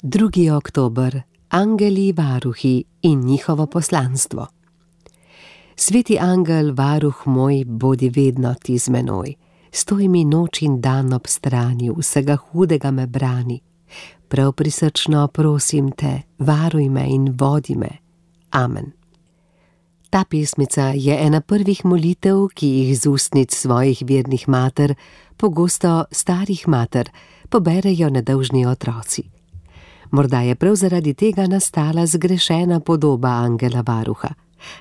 2. oktober. Angeli varuhi in njihovo poslanstvo. Sveti angel, varuh moj, bodi vedno ti z menoj. Stoj mi noč in dan ob strani, vsega hudega me brani. Prav prisrčno prosim te, varuj me in vodi me. Amen. Ta pesmica je ena prvih molitev, ki jih z ustnic svojih vernih mater, pogosto starih mater, poberejo nedolžni otroci. Morda je prav zaradi tega nastala zgrešena podoba angela varuha.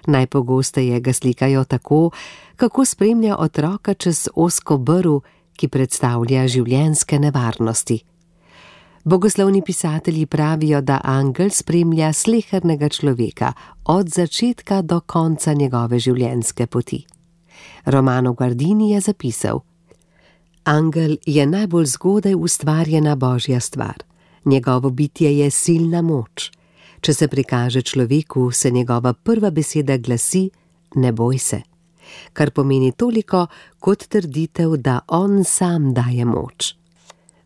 Najpogosteje ga slikajo tako, kako spremlja otroka čez ozko brv, ki predstavlja življenjske nevarnosti. Bogoslovni pisatelji pravijo, da angel spremlja slehernega človeka od začetka do konca njegove življenjske poti. Romano Guardini je zapisal: Angel je najbolj zgodaj ustvarjena božja stvar. Njegovo bitje je silna moč. Če se prikaže človeku, se njegova prva beseda glasi: ne boj se, kar pomeni toliko kot trditev, da on sam daje moč.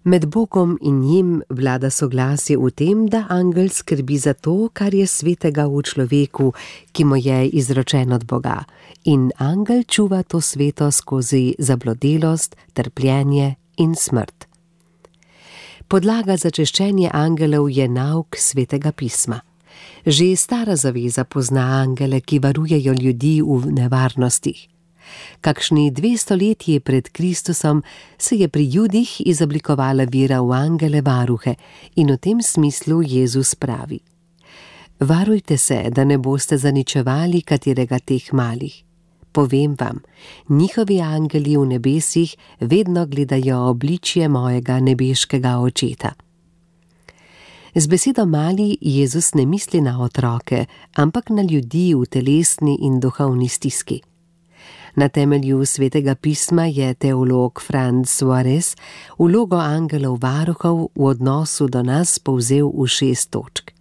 Med Bogom in njim vlada soglasje v tem, da angel skrbi za to, kar je svetega v človeku, ki mu je izročen od Boga, in angel čuva to sveto skozi zablodelost, trpljenje in smrt. Podlaga za češčenje angelov je nauk svetega pisma. Že stara zaveza pozna angele, ki varujejo ljudi v nevarnostih. Kakšni 200 letji pred Kristusom se je pri Judih izoblikovala vera v angele varuhe in v tem smislu Jezus pravi: varujte se, da ne boste zaničevali katerega teh malih. Povem vam, njihovi angeli v nebesih vedno gledajo obličje mojega nebeškega očeta. Z besedo mali Jezus ne misli na otroke, ampak na ljudi v telesni in duhovni stiski. Na temelju svetega pisma je teolog Franz Suarez vlogo angelov varuhov v odnosu do nas povzel v 6 točk.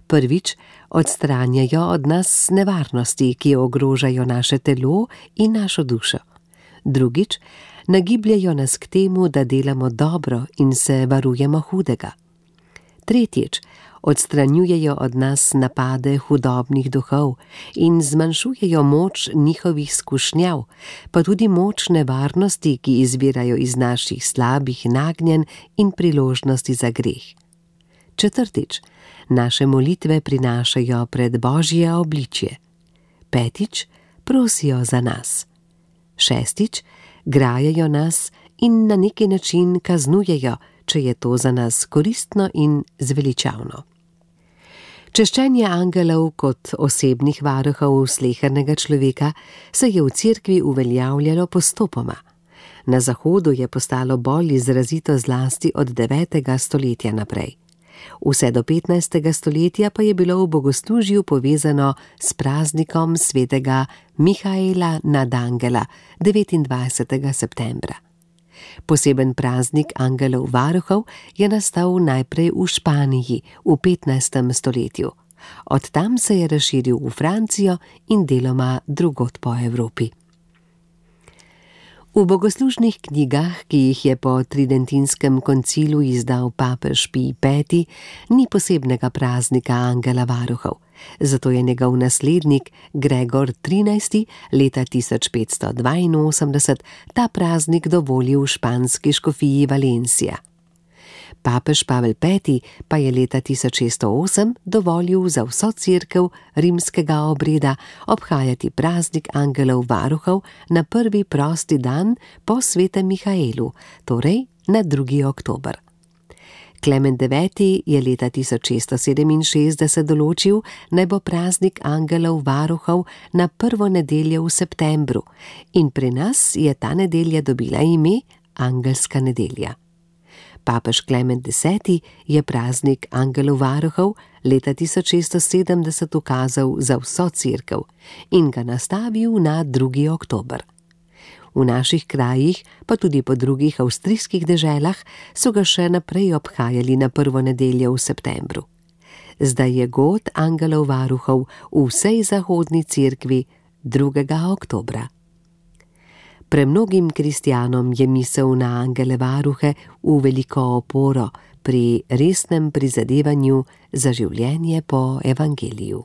Prvič, odstranjajo od nas nevarnosti, ki ogrožajo naše telo in našo dušo. Drugič, nagibljajo nas k temu, da delamo dobro in se varujemo hudega. Tretjič, odstranjujejo od nas napade hudobnih duhov in zmanjšujejo moč njihovih skušnjav, pa tudi moč nevarnosti, ki izvirajo iz naših slabih nagnjenj in priložnosti za greh. Četrtič, naše molitve prinašajo pred Božje obličje. Petič, prosijo za nas. Šestič, grajajo nas in na neki način kaznujejo, če je to za nas koristno in zveličavno. Češčenje angelov kot osebnih varuhov slehernega človeka se je v Cerkvi uveljavljalo postopoma. Na Zahodu je postalo bolj izrazito zlasti od 9. stoletja naprej. Vse do 15. stoletja pa je bilo v bogoslužju povezano s praznikom svetega Mihaela nad Angela 29. septembra. Poseben praznik angelov varuhov je nastal najprej v Španiji v 15. stoletju. Od tam se je razširil v Francijo in deloma drugod po Evropi. V bogoslužnih knjigah, ki jih je po Tridentinskem koncilu izdal papež Pij V, ni posebnega praznika angela varuhov. Zato je njegov naslednik Gregor XIII. Leta 1582 ta praznik dovolil v španski škofiji Valencia. Papež Pavel V. pa je leta 1608 dovolil za vso cerkev rimskega obreda obhajati praznik angelov varuhov na prvi prosti dan po svetem Mihaelu, torej na 2. oktober. Klemen IX. Je leta 1667 določil, naj bo praznik angelov varuhov na prvo nedeljo v septembru in pri nas je ta nedelja dobila ime Angelska nedelja. Papež Klemen X. je praznik angelov varuhov leta 1670 ukazal za vso cerkev in ga nastavil na 2. oktober. V naših krajih, pa tudi po drugih avstrijskih deželah, so ga še naprej obhajali na prvo nedeljo v septembru. Zdaj je god angelov varuhov v vsej zahodni cerkvi 2. oktobra. Premnogim kristjanom je misel na angele varuhe v veliko oporo pri resnem prizadevanju za življenje po evangeliju.